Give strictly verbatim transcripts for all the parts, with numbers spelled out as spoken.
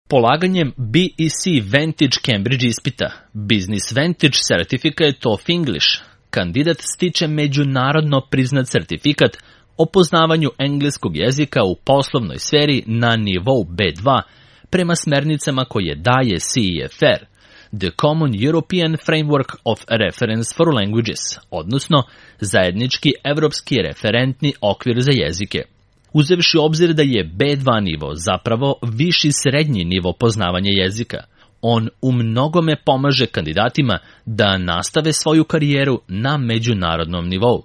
Polaganjem B E C Vantage Cambridge ispita, Business Vantage Certificate of English, kandidat stiče međunarodno priznat sertifikat o poznavanju engleskog jezika u poslovnoj sferi na nivou B dva prema smernicama koje daje C E F R, The Common European Framework of Reference for Languages, odnosno zajednički evropski referentni okvir za jezike. Uzevši obzir da je B dva nivo zapravo viši srednji nivo poznavanja jezika, on u mnogome pomaže kandidatima da nastave svoju karijeru na međunarodnom nivou.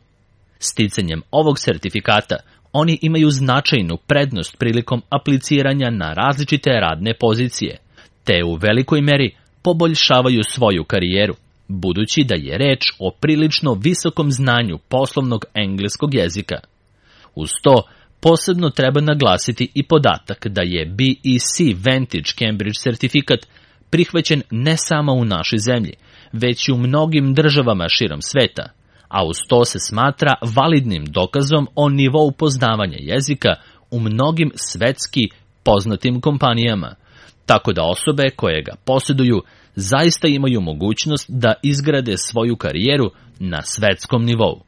Sticanjem ovog sertifikata oni imaju značajnu prednost prilikom apliciranja na različite radne pozicije, te u velikoj meri poboljšavaju svoju karijeru, budući da je reč o prilično visokom znanju poslovnog engleskog jezika. Uz to, posebno treba naglasiti i podatak da je B E C Vantage Cambridge sertifikat prihvaćen ne samo u našoj zemlji, već i u mnogim državama širom sveta, a uz to se smatra validnim dokazom o nivou poznavanja jezika u mnogim svetski poznatim kompanijama, tako da osobe koje ga posjeduju zaista imaju mogućnost da izgrade svoju karijeru na svetskom nivou.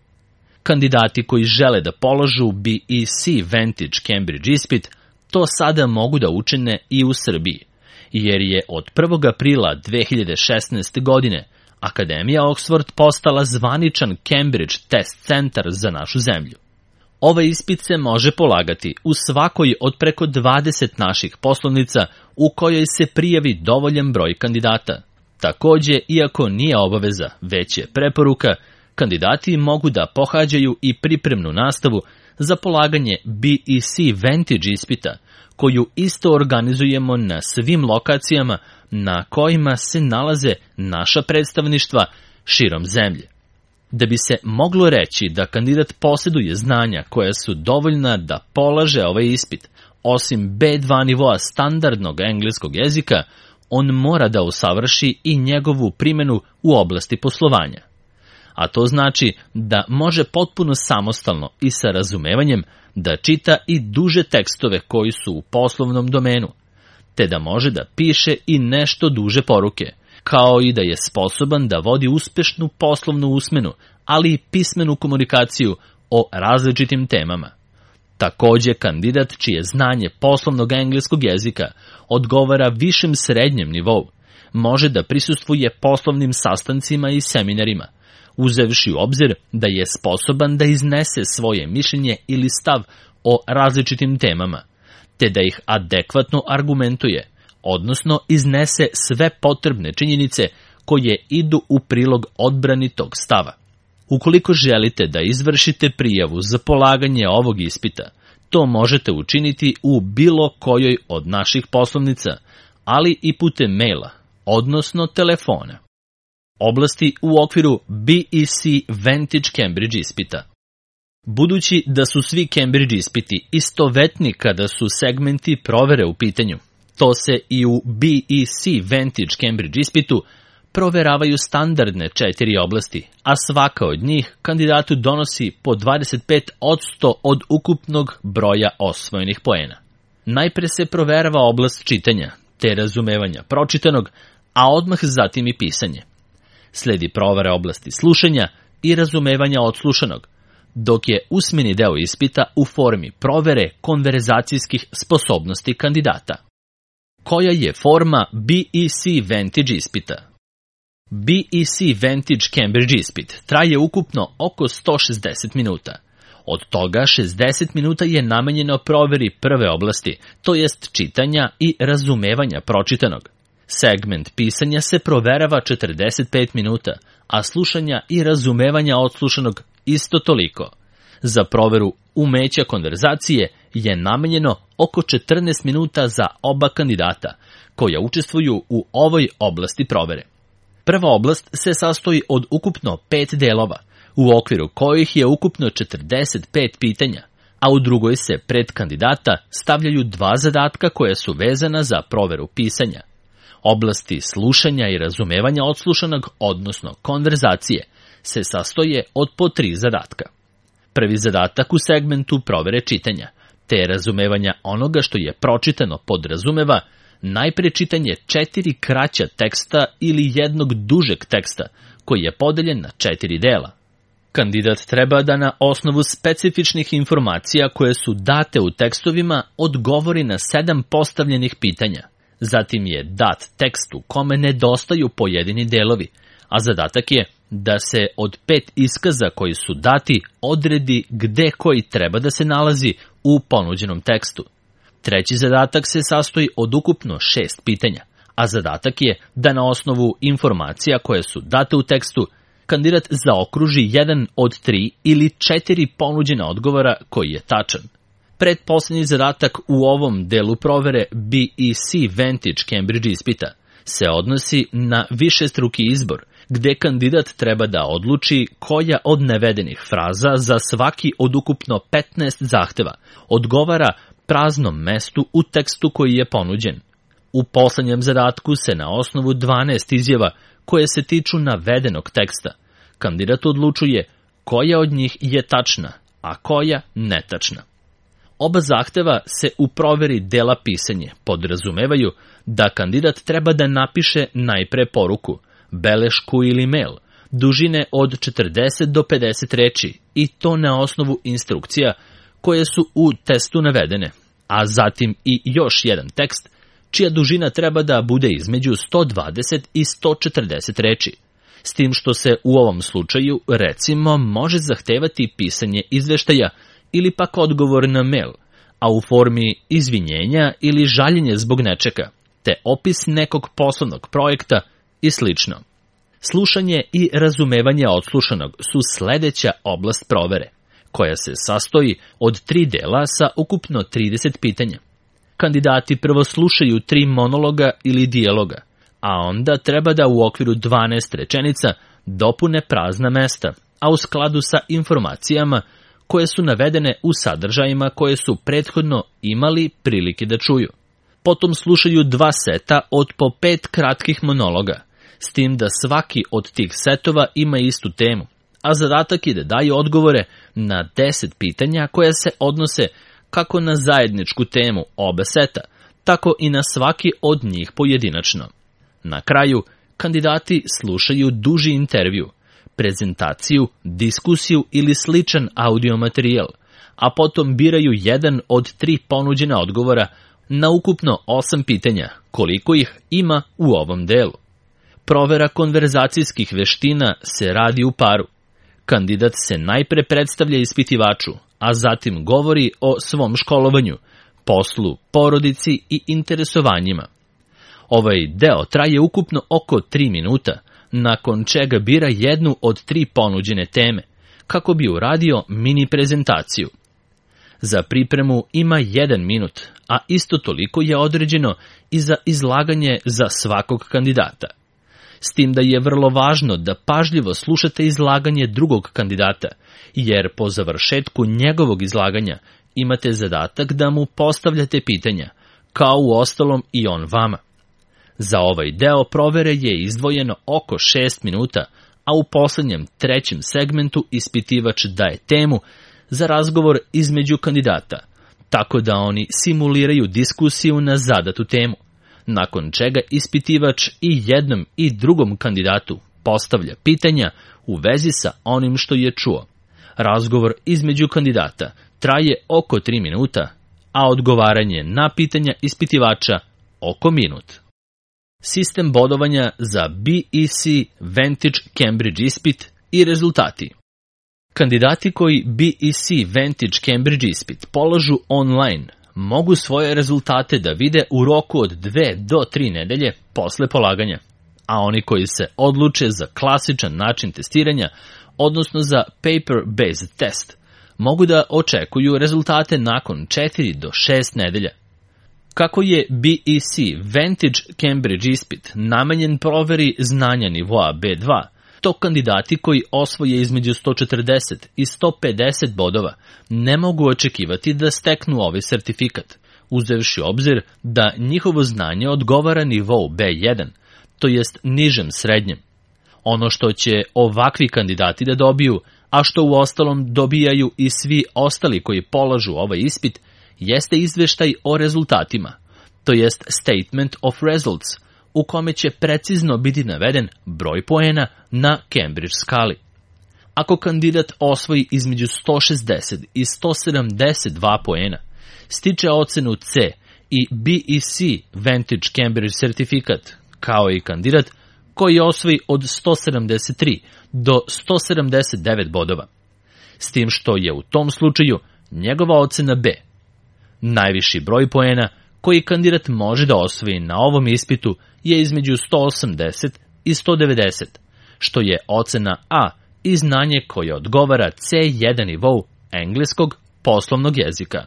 Kandidati koji žele da polažu B E C Vantage Cambridge ispit to sada mogu da učine i u Srbiji, jer je od prvog aprila dve hiljade šesnaeste. godine Akademija Oxford postala zvaničan Cambridge test centar za našu zemlju. Ovaj ispit se može polagati u svakoj od preko dvadeset naših poslovnica u kojoj se prijavi dovoljan broj kandidata. Takođe, iako nije obaveza, već je preporuka, kandidati mogu da pohađaju i pripremnu nastavu za polaganje B E C Vantage ispita, koju isto organizujemo na svim lokacijama na kojima se nalaze naša predstavništva širom zemlje. Da bi se moglo reći da kandidat posjeduje znanja koja su dovoljna da polaže ovaj ispit, osim B dva nivoa standardnog engleskog jezika, on mora da usavrši i njegovu primjenu u oblasti poslovanja. A to znači da može potpuno samostalno i sa razumevanjem da čita i duže tekstove koji su u poslovnom domenu, te da može da piše i nešto duže poruke, kao i da je sposoban da vodi uspešnu poslovnu usmenu, ali i pismenu komunikaciju o različitim temama. Takođe, kandidat čije znanje poslovnog engleskog jezika odgovara višem srednjem nivou, može da prisustvuje poslovnim sastancima i seminarima, uzevši u obzir da je sposoban da iznese svoje mišljenje ili stav o različitim temama, te da ih adekvatno argumentuje, odnosno iznese sve potrebne činjenice koje idu u prilog odbrani tog stava. Ukoliko želite da izvršite prijavu za polaganje ovog ispita, to možete učiniti u bilo kojoj od naših poslovnica, ali i putem maila, odnosno telefona. Oblasti u okviru B E C Vantage Cambridge ispita. Budući da su svi Cambridge ispiti istovetni kada su segmenti provere u pitanju, to se i u B E C Vantage Cambridge ispitu proveravaju standardne četiri oblasti, a svaka od njih kandidatu donosi po dvadeset pet posto od ukupnog broja osvojenih poena. Najpre se proverava oblast čitanja, te razumevanja pročitanog, a odmah zatim i pisanje. Sledi provera oblasti slušanja i razumevanja odslušanog, dok je usmeni deo ispita u formi provere konverzacijskih sposobnosti kandidata. Koja je forma B E C Vantage ispita? B E C Vantage Cambridge ispit traje ukupno oko sto šezdeset minuta. Od toga šezdeset minuta je namenjeno proveri prve oblasti, to jest čitanja i razumevanja pročitanog. Segment pisanja se proverava četrdeset pet minuta, a slušanja i razumevanja odslušanog isto toliko. Za proveru umeća konverzacije je namenjeno oko četrnaest minuta za oba kandidata, koja učestvuju u ovoj oblasti provere. Prva oblast se sastoji od ukupno pet delova, u okviru kojih je ukupno četrdeset pet pitanja, a u drugoj se pred kandidata stavljaju dva zadatka koja su vezana za proveru pisanja. Oblasti slušanja i razumevanja odslušanog, odnosno konverzacije, se sastoje od po tri zadatka. Prvi zadatak u segmentu provere čitanja, te razumevanja onoga što je pročitano podrazumeva najpre čitanje četiri kraća teksta ili jednog dužeg teksta, koji je podeljen na četiri dela. Kandidat treba da na osnovu specifičnih informacija koje su date u tekstovima odgovori na sedam postavljenih pitanja. Zatim je dat tekst u kome nedostaju pojedini delovi, a zadatak je da se od pet iskaza koji su dati odredi gde koji treba da se nalazi u ponuđenom tekstu. Treći zadatak se sastoji od ukupno šest pitanja, a zadatak je da na osnovu informacija koje su date u tekstu kandidat zaokruži jedan od tri ili četiri ponuđena odgovora koji je tačan. Pretposlednji zadatak u ovom delu provere B E C Vantage Cambridge ispita se odnosi na višestruki izbor, gde kandidat treba da odluči koja od navedenih fraza za svaki od ukupno petnaest zahteva odgovara praznom mestu u tekstu koji je ponuđen. U poslednjem zadatku se na osnovu dvanaest izjava koje se tiču navedenog teksta kandidat odlučuje koja od njih je tačna, a koja netačna. Oba zahteva se u proveri dela pisanje podrazumevaju da kandidat treba da napiše najpre poruku, belešku ili mail, dužine od četrdeset do pedeset reči i to na osnovu instrukcija koje su u testu navedene, a zatim i još jedan tekst čija dužina treba da bude između sto dvadeset i sto četrdeset reči, s tim što se u ovom slučaju, recimo, može zahtevati pisanje izveštaja ili pak odgovor na mail, a u formi izvinjenja ili žaljenje zbog nečega, te opis nekog poslovnog projekta i slično. Slušanje i razumevanje odslušanog su sledeća oblast provere, koja se sastoji od tri dela sa ukupno trideset pitanja. Kandidati prvo slušaju tri monologa ili dijaloga, a onda treba da u okviru dvanaest rečenica dopune prazna mesta, a u skladu sa informacijama koje su navedene u sadržajima koje su prethodno imali prilike da čuju. Potom slušaju dva seta od po pet kratkih monologa, s tim da svaki od tih setova ima istu temu, a zadatak je da daju odgovore na deset pitanja koja se odnose kako na zajedničku temu oba seta, tako i na svaki od njih pojedinačno. Na kraju, kandidati slušaju duži intervju, prezentaciju, diskusiju ili sličan audio materijal, a potom biraju jedan od tri ponuđena odgovora na ukupno osam pitanja, koliko ih ima u ovom delu. Provera konverzacijskih veština se radi u paru. Kandidat se najpre predstavlja ispitivaču, a zatim govori o svom školovanju, poslu, porodici i interesovanjima. Ovaj deo traje ukupno oko tri minuta, nakon čega bira jednu od tri ponuđene teme, kako bi uradio mini prezentaciju. Za pripremu ima jedan minut, a isto toliko je određeno i za izlaganje za svakog kandidata. S tim da je vrlo važno da pažljivo slušate izlaganje drugog kandidata, jer po završetku njegovog izlaganja imate zadatak da mu postavljate pitanja, kao u ostalom i on vama. Za ovaj deo provere je izdvojeno oko šest minuta, a u poslednjem trećem segmentu ispitivač daje temu za razgovor između kandidata, tako da oni simuliraju diskusiju na zadatu temu, nakon čega ispitivač i jednom i drugom kandidatu postavlja pitanja u vezi sa onim što je čuo. Razgovor između kandidata traje oko tri minuta, a odgovaranje na pitanja ispitivača oko minut. Sistem bodovanja za B E C Vantage Cambridge ispit i rezultati. Kandidati koji B E C Vantage Cambridge ispit polažu online mogu svoje rezultate da vide u roku od dve do tri nedelje posle polaganja, a oni koji se odluče za klasičan način testiranja, odnosno za paper-based test, mogu da očekuju rezultate nakon četiri do šest nedelja. Kako je B E C Vantage Cambridge ispit namenjen proveri znanja nivoa B dva, to kandidati koji osvoje između sto četrdeset i sto pedeset bodova ne mogu očekivati da steknu ovaj sertifikat, uzevši obzir da njihovo znanje odgovara nivou B jedan, to jest nižem srednjem. Ono što će ovakvi kandidati da dobiju, a što u ostalom dobijaju i svi ostali koji polažu ovaj ispit, jeste izveštaj o rezultatima, to jest Statement of Results, u kome će precizno biti naveden broj poena na Cambridge skali. Ako kandidat osvoji između sto šezdeset i sto sedamdeset dva poena, stiče ocenu C i B E C Vantage Cambridge sertifikat, kao i kandidat koji osvoji od sto sedamdeset tri do sto sedamdeset devet bodova, s tim što je u tom slučaju njegova ocena B. Najviši broj poena koji kandidat može da osvoji na ovom ispitu je između sto osamdeset i sto devedeset, što je ocena A i znanje koje odgovara C jedan nivou engleskog poslovnog jezika.